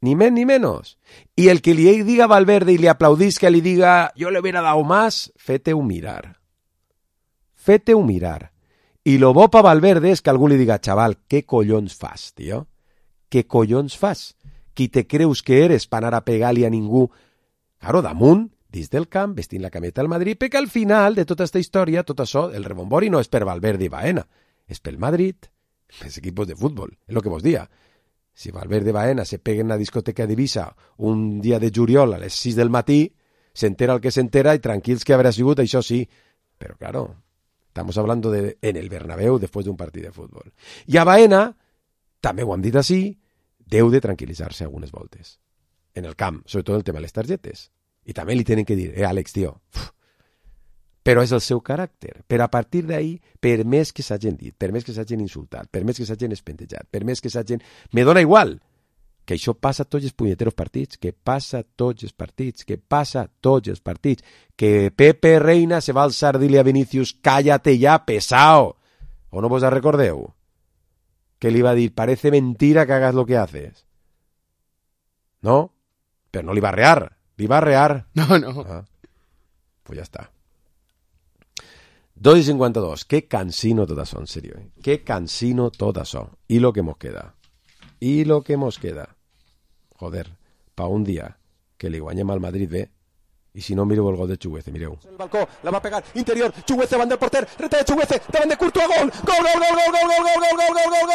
Ni més ni menos. Y el que le diga a Valverde y le aplaudisca y le diga yo le hubiera dado más, fete un mirar. Fete un mirar. Y lo bo pa Valverde és que algú li diga, chaval, què collons fas, tio? Què collons fas? Qui te creus que eres per anar a pegar-li a ningú? Claro, damunt, dins del camp, vestint la cameta del Madrid, perquè al final de tota aquesta història, tot això, el rebombori no és per Valverde i Baena, és pel Madrid, els equipos de futbol, és el que vos dia. Si Valverde i Baena se peguen a la discoteca d'Eivissa un dia de juliol a les sis del matí, s'entera el que s'entera i tranquils que haurà sigut, això sí, però claro, estamos hablando de en el Bernabéu después de un partit de futbol. I a Baena, també ho hem dit així, deu de tranquil·litzar-se algunes voltes. En el camp, sobretot el tema de les targetes. I també li tenen que dir, eh, Àlex, tio, uf. Però és el seu caràcter. Però a partir d'ahí, per més que s'hagin dit, per més que s'hagin insultat, per més que s'hagin espentejat, per més que s'hagin... Me dona igual, que això passa a tots els punyeteros partits, que passa a tots els partits, que passa a tots els partits, que Pepe Reina se va alçar dir-li a Vinicius, cállate ya, pesao. ¿O no vos la recordeu? Que li va dir, parece mentira que hagas lo que haces. ¿No? Pero no li va rear, li va rear. No, no. Ah, pues ya está. dos y cincuenta y dos. Qué cansino tot això, en serio. Eh? Qué cansino tot això. Y lo que nos queda. Y lo que nos queda. Joder, pa un día que li guanyem al Madrid bé. I si no, mireu el gol de Chuguece, mireu. El balcó, la va a pegar, interior, Chuguece, van del porter, reta de Chuguece, davant de Courtois, gol, gol, gol, gol, gol, gol, gol, gol, gol, gol, gol,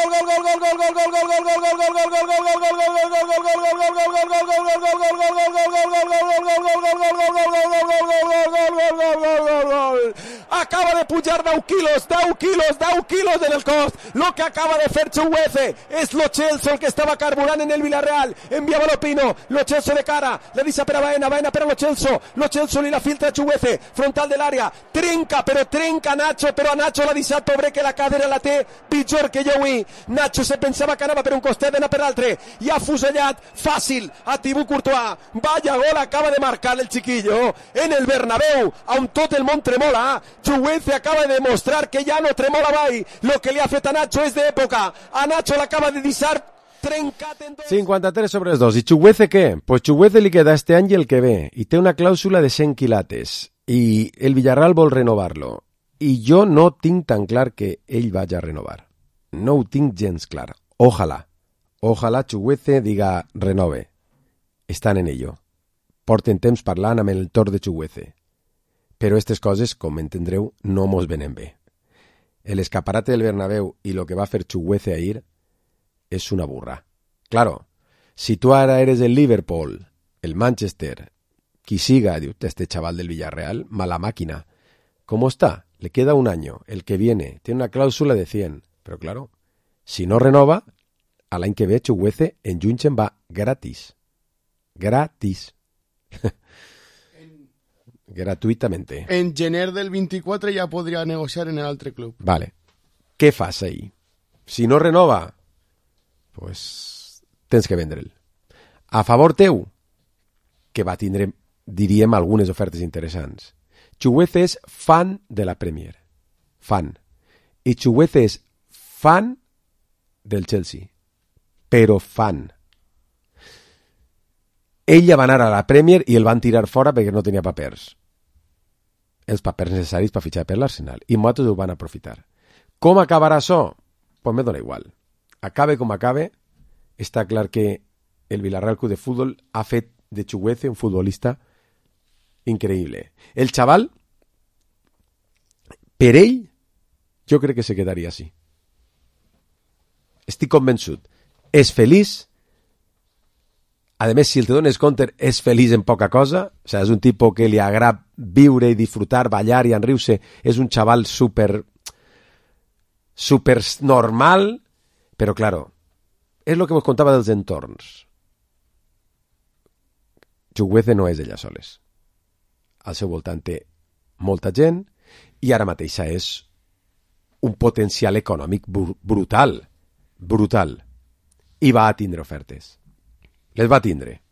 gol, gol, gol, gol, acaba de pujar deu quilos, deu quilos, deu quilos en el cost. Lo que acaba de fer Chuguece és lo Chelsea el que estava carburant en el Villarreal. Enviava l'Opino, lo Chelsea de cara, le deixa per a Baena, Baena per a lo Chelsea, lo Chelsea li la filtra Chuguece, frontal de l'àrea, trenca, però trenca Nacho, però a Nacho l'ha deixat pobre que la cadera la té pitjor que jo avui. Nacho se pensava que anava per un costat, d'anar per l'altre, i ha fusellat fàcil a Thibaut Courtois. Vaya gol acaba de marcar el chiquillo en el Bernabéu, on tot el món tremola. Chuguece acaba de demostrar que ja no tremola mai. Lo que li ha fet a Nacho és d'època. A Nacho l'acaba de deixar trencat en dos. cincuenta-tres sobre els dos. ¿Y Chuguece qué? Pues Chuguece li queda este any i el que ve. I té una clàusula de cent quilates. I el Villarreal vol renovar-lo. I jo no tinc tan clar que ell vagi a renovar. No ho tinc gens clar. Ojalà. Ojalà Chuguece diga renove. Estan en ello. Porten temps parlant amb el tor de Chuguece. Però aquestes coses, com entendreu, no mos venen bé. El escaparate del Bernabéu i lo que va fer Chuguece ahir és una burra. Claro, si tu ara eres el Liverpool, el Manchester, qui siga, diu, este chaval del Villarreal, mala máquina. ¿Cómo está? Le queda un año. El que viene tiene una cláusula de cien. Pero claro, si no renova, al año que ve Chuguece en Junchen va gratis. Gratis. Gratuitamente. En gener del veinticuatro ja podria negociar en el altre club. Vale. Què fas ahí? Si no renova, pues tens que vendre'l. A favor teu, que va tindre, diríem, algunes ofertes interessants. Chuguece és fan de la Premier. Fan. I Chuguece és fan del Chelsea. Però fan. Ella va anar a la Premier i el van tirar fora perquè no tenia papers. Els papers necessaris per fitxar per l'Arsenal. I nosaltres ho van aprofitar. Com acabarà això? Pues me dona igual. Acabe com acabe, està clar que el Villarreal Club de Fútbol ha fet de Chuguece un futbolista increïble. El xaval, per ell, jo crec que se quedaria així. Estic convençut. És feliç. A més, si el te dones compte, és feliç en poca cosa. O sigui, és un tipus que li agrada viure i disfrutar, ballar i enriure-se. És un xaval super, super normal, però, claro, és el que vos contava dels entorns. Chuguece no és ella soles. Al seu voltant té molta gent i ara mateixa és un potencial econòmic br- brutal. Brutal. I va a tindre ofertes. Les va tindre.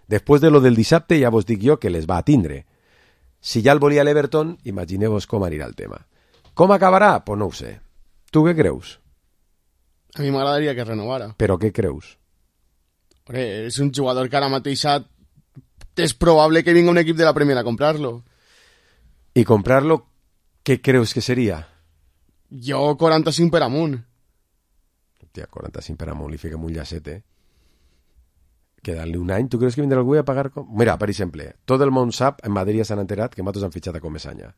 Després de lo del dissabte ja vos dic jo que les va tindre. Si ja el volia l'Everton, imagineu-vos com anirà el tema. Com acabarà? Pues no ho sé. Tu què creus? A mi m'agradaria que renovara. Però què creus? Hombre, es un jugador que ara mateix és probable que vinga un equip de la Premier a comprarlo. ¿Y comprarlo qué crees que sería? Jo quaranta-cinc per amunt. Hòstia, quaranta-cinc per amunt, li fiquem un llacet, eh? Quedant-li un any, tu creus que vindrà algú a pagar... Com? Mira, per exemple, tot el món sap, en Madrid s'han enterat que nosaltres han fitxat a Comesaña.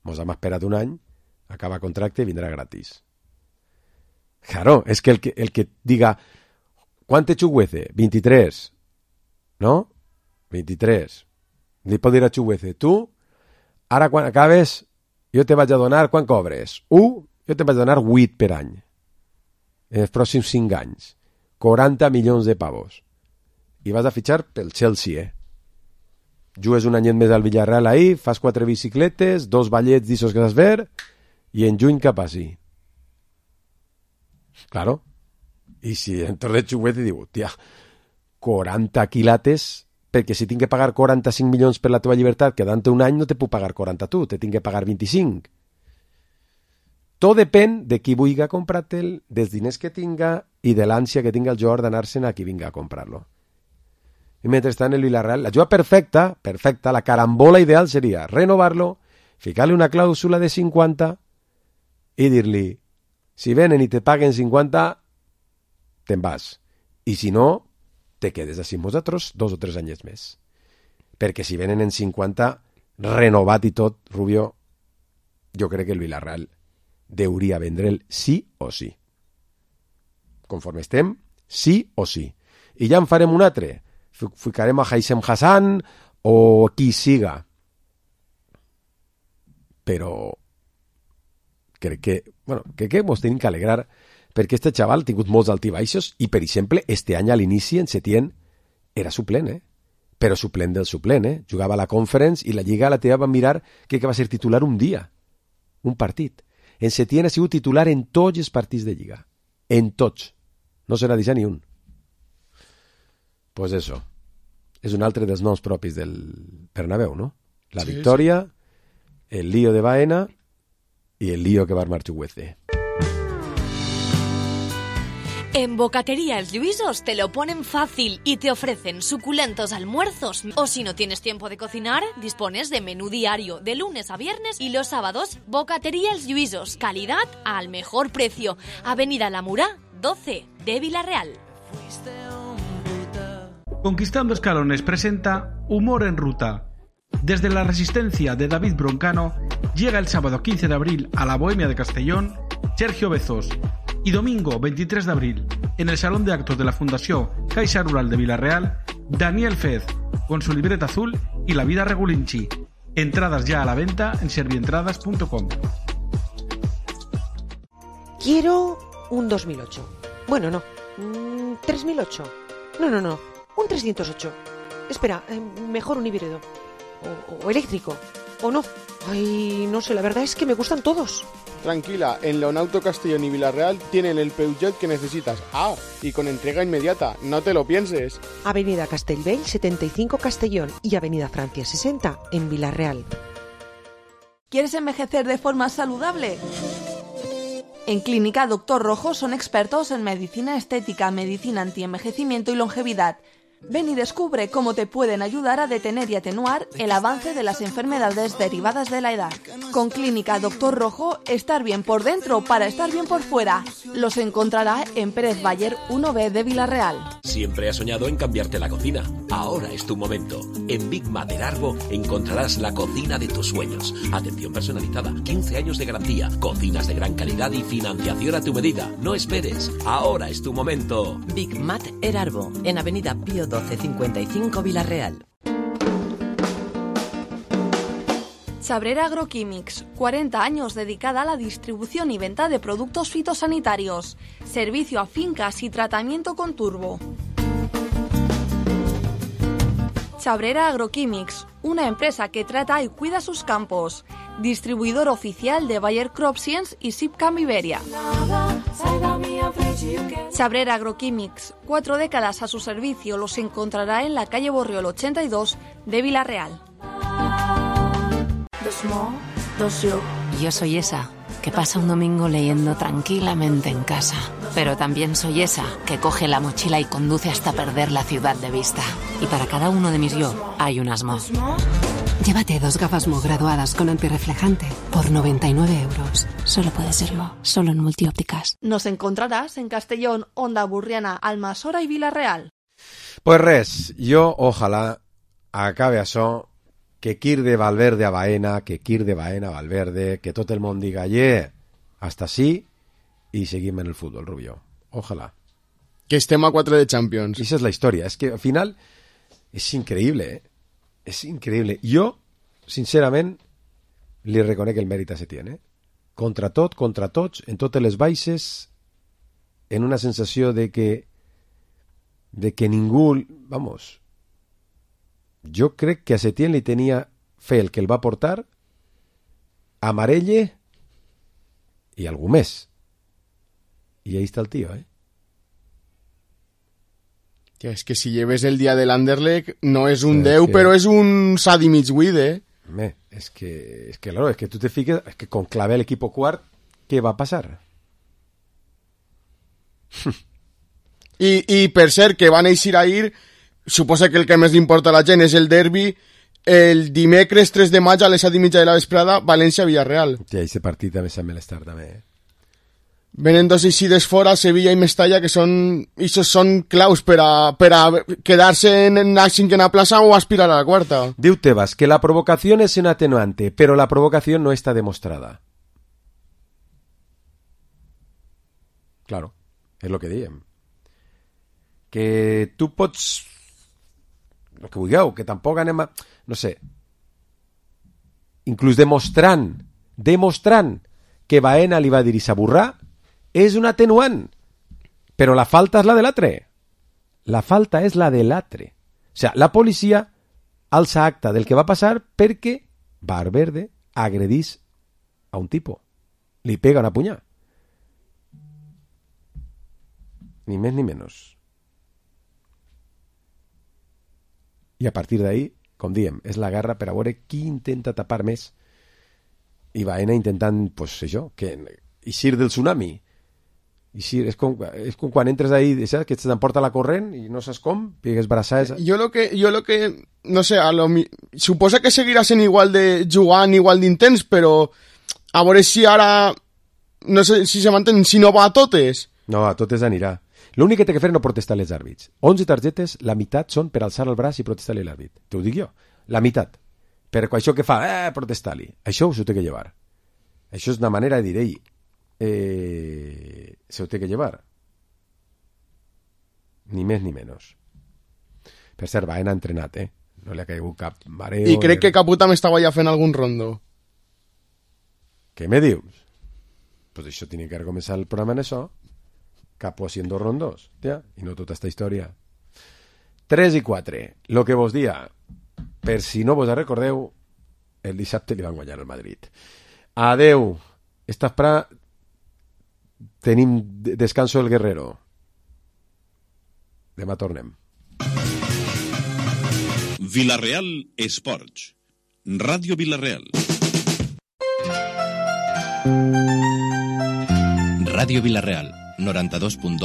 Mos hem esperat un any, acaba contracte i vindrà gratis. Claro, és que el que, el que diga ¿cuán te Chuguece? veintitrés. ¿No? veintitrés. Li pot dir a Chuguece, tu, ara quan acabes, jo te vaig a donar, quan cobres? u, jo te vaig a donar vuit per any. En els pròxims cinc anys. quaranta milions de pavos. I vas a fitxar pel Chelsea, eh? Jugues un anyet més al Villarreal ahí, fas quatre bicicletes, dos ballets d'issos que has ver, i en juny cap així. Claro. I si entorn de Chuguece diu, tia, quaranta quilates, perquè si tinc que pagar quaranta-cinc milions per la teva llibertat, quedant-te un any no te puc pagar quaranta tu, te tinc que pagar vint-i-cinc. Tot depèn de qui vulgui comprar-te'l, dels diners que tinga i de l'ànsia que tinga el jugador d'anar-se'n a qui vinga a comprar-lo. I mentrestant el Villarreal, la jugada perfecta, perfecta, la carambola ideal seria renovar-lo, ficar-li una clàusula de cinquanta i dir-li, si venen i te paguen cinquanta, te'n vas. I si no, te quedes així amb vosaltres dos o tres anys més. Perquè si venen en cinquanta, renovat i tot, Rubio, jo crec que el Villarreal deuria vendre'l sí o sí. Conforme estem, sí o sí. I ja en farem un altre. Ficarem a Haissem Hassan o qui siga. Però crec que, bueno, crec que mos tenim que alegrar perquè este xaval ha tingut molts altibaixos i, per exemple, este any a l'inici, en Setién, era suplent, eh? Però suplent del suplent, eh? Jugava a la Conference i la Lliga la teva va mirar que, que va ser titular un dia, un partit. En Setién ha sigut titular en tots els partits de Lliga. En tots. No se n'ha deixat ni un. Pues eso. És un altre dels noms propis del Bernabéu, no? La sí, victòria, sí. El lío de Baena y el lío que va armar Chuguece. En Bocatería Els Lluïsos te lo ponen fácil y te ofrecen suculentos almuerzos. O si no tienes tiempo de cocinar, dispones de menú diario de lunes a viernes y los sábados. Bocatería Els Lluïsos, calidad al mejor precio. Avenida La Murá, doce de Villarreal. Conquistando Escalones presenta Humor en Ruta. Desde la Resistencia de David Broncano llega el sábado quince de abril a la Bohemia de Castellón Sergio Bezos. Y domingo veintitrés de abril, en el Salón de Actos de la Fundación Caixa Rural de Villarreal, Daniel Fez, con su libreta azul y La vida regulinchi. Entradas ya a la venta en servientradas punto com. Quiero un dos mil ocho. Bueno, no. Un tres mil ocho. No, no, no. Un trescientos ocho. Espera, eh, mejor un híbrido. O, o eléctrico. O no. Ay, no sé, la verdad es que me gustan todos. Tranquila, en Leonauto Castellón y Villarreal tienen el Peugeot que necesitas. Ah, y con entrega inmediata, no te lo pienses. Avenida Castellbell setenta y cinco Castellón y Avenida Francia sesenta en Villarreal. ¿Quieres envejecer de forma saludable? En Clínica Doctor Rojo son expertos en medicina estética, medicina antienvejecimiento y longevidad. Ven y descubre cómo te pueden ayudar a detener y atenuar el avance de las enfermedades derivadas de la edad. Con Clínica Doctor Rojo, estar bien por dentro para estar bien por fuera. Los encontrará en Pérez Bayer uno B de Villarreal. Siempre has soñado en cambiarte la cocina. Ahora es tu momento. En Big Mat Erargo encontrarás la cocina de tus sueños. Atención personalizada, quince años de garantía, cocinas de gran calidad y financiación a tu medida. No esperes. Ahora es tu momento. Big Mat Erargo, en Avenida Pío doce cincuenta y cinco Villarreal. Chabrera Agroquímics, cuarenta años dedicada a la distribución y venta de productos fitosanitarios. Servicio a fincas y tratamiento con turbo. Chabrera Agroquímics, una empresa que trata y cuida sus campos. Distribuidor oficial de Bayer Crop Science y Sipcam Iberia. Chabrera Agroquímics, cuatro décadas a su servicio, los encontrará en la calle Borriol ochenta y dos de Villarreal. Yo soy esa que pasa un domingo leyendo tranquilamente en casa. Pero también soy esa que coge la mochila y conduce hasta perder la ciudad de vista. Y para cada uno de mis yo hay un Asmo. Llévate dos gafas Mo graduadas con antirreflejante por noventa y nueve euros. Solo puede serlo, solo en Multiópticas. Nos encontrarás en Castellón, Onda Burriana, Almassora i Vila-real. Pues res, jo, ojalà, acabe això, que Quir de Valverde a Baena, que Quir de Baena a Valverde, que tot el món diga, yeah, hasta sí, i seguim en el futbol, Rubió. Ojalà. Que estem a quatre de Champions. Esa és la història. És que al final és increïble, eh? És increïble. Jo, sincerament, li reconec el mèrit a Setién, eh? Contra tot, contra tots, en totes les baixes, en una sensació de que de que ningú, vamos, jo crec que a Setién li tenia fe el que el va portar, a Marelle i algú més. I ahí està el tio, eh? Tio, és que si lleves el dia de l'Anderlecht no és un sí, deu, que... però és un Sadi Migwid, eh? Home, és que, és que, claro, és que tu te fiques, és que con clave el equipo quart, què va passar? I, I per cert, que van eixir ahir, suposa que el que més li importa a la gent és el derbi, el dimecres tres de maig a les set i mitja de la vesprada, València-Villarreal. Sí, aquest partit també s'ha malestar, també, eh? Venen dos eixides fora, Sevilla i Mestalla, que són, ixos són claus per a, per a quedar-se en la cinquena plaça o aspirar a la quarta. Diu Tebas que la provocación es un atenuante, pero la provocación no está demostrada. Claro, és lo que diem. Que tu pots... el que vulgueu, que tampoc anem a... no sé. Inclús demostrant, demostrant que Baena li va dir i s'aburrà, és un atenuant. Però la falta és la de l'altre. La falta és la de l'altre. O sea, la policia alça acta del que va passar perquè Valverde agredís a un tipo. Li pega una punyà. Ni més ni menys. I a partir d'ahí, com diem, és la guerra per a veure qui intenta tapar més. I Baena intentant, pues això, que eixir del tsunami. Eixir, és, com, és com quan entres ahí, saps, que t'emporta la corrent i no saps com, pegues braçades. Jo lo que, jo lo que, no sé, a lo, suposa que seguirà sent igual de jugant, igual d'intens, però a veure si ara, no sé si se mantén, si no va a totes. No, a totes anirà. L'únic que té que fer és no protestar els àrbits. onze targetes, la meitat són per alçar el braç i protestar-li l'àrbit. Te ho dic jo. La meitat. Però això que fa, eh, protestar-li. Això s'ho té que llevar. Això és una manera de dir, ei, eh, s'ho té que llevar. Ni més ni menys. Per cert, Baena ha entrenat, eh? No li ha caigut cap mareo. I crec que Caputa m'estava ja fent algun rondo. Què me dius? Pues això tiene que començar el programa en això. Capo haciendo rondos, tia, i no tota esta història. tres i quatre, lo que vos dia, per si no vos recordeu, el dissabte li van guanyar al Madrid. Adeu, esta pra tenim descanso del Guerrero. Demà tornem. Vila-real Esports. Ràdio Vila-real. Ràdio Vila-real, noranta-dos punt dos.